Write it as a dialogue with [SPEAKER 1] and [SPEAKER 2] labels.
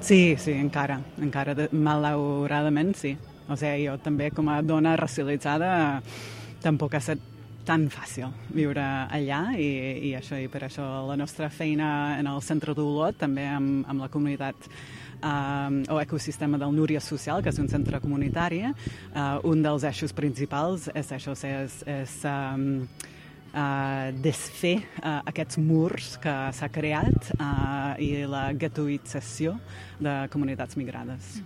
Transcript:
[SPEAKER 1] Sí, sí, encara, malauradament sí. O sigui, jo també com a dona racialitzada tampoc ha estat tan fàcil viure allà i per això la nostra feina en el centre d'Olot, també amb la comunitat o ecosistema del Núria Social, que és un centre comunitari, un dels eixos principals és això, és desfer aquests murs que s'ha creat i la guetoïtzació de comunitats migrades.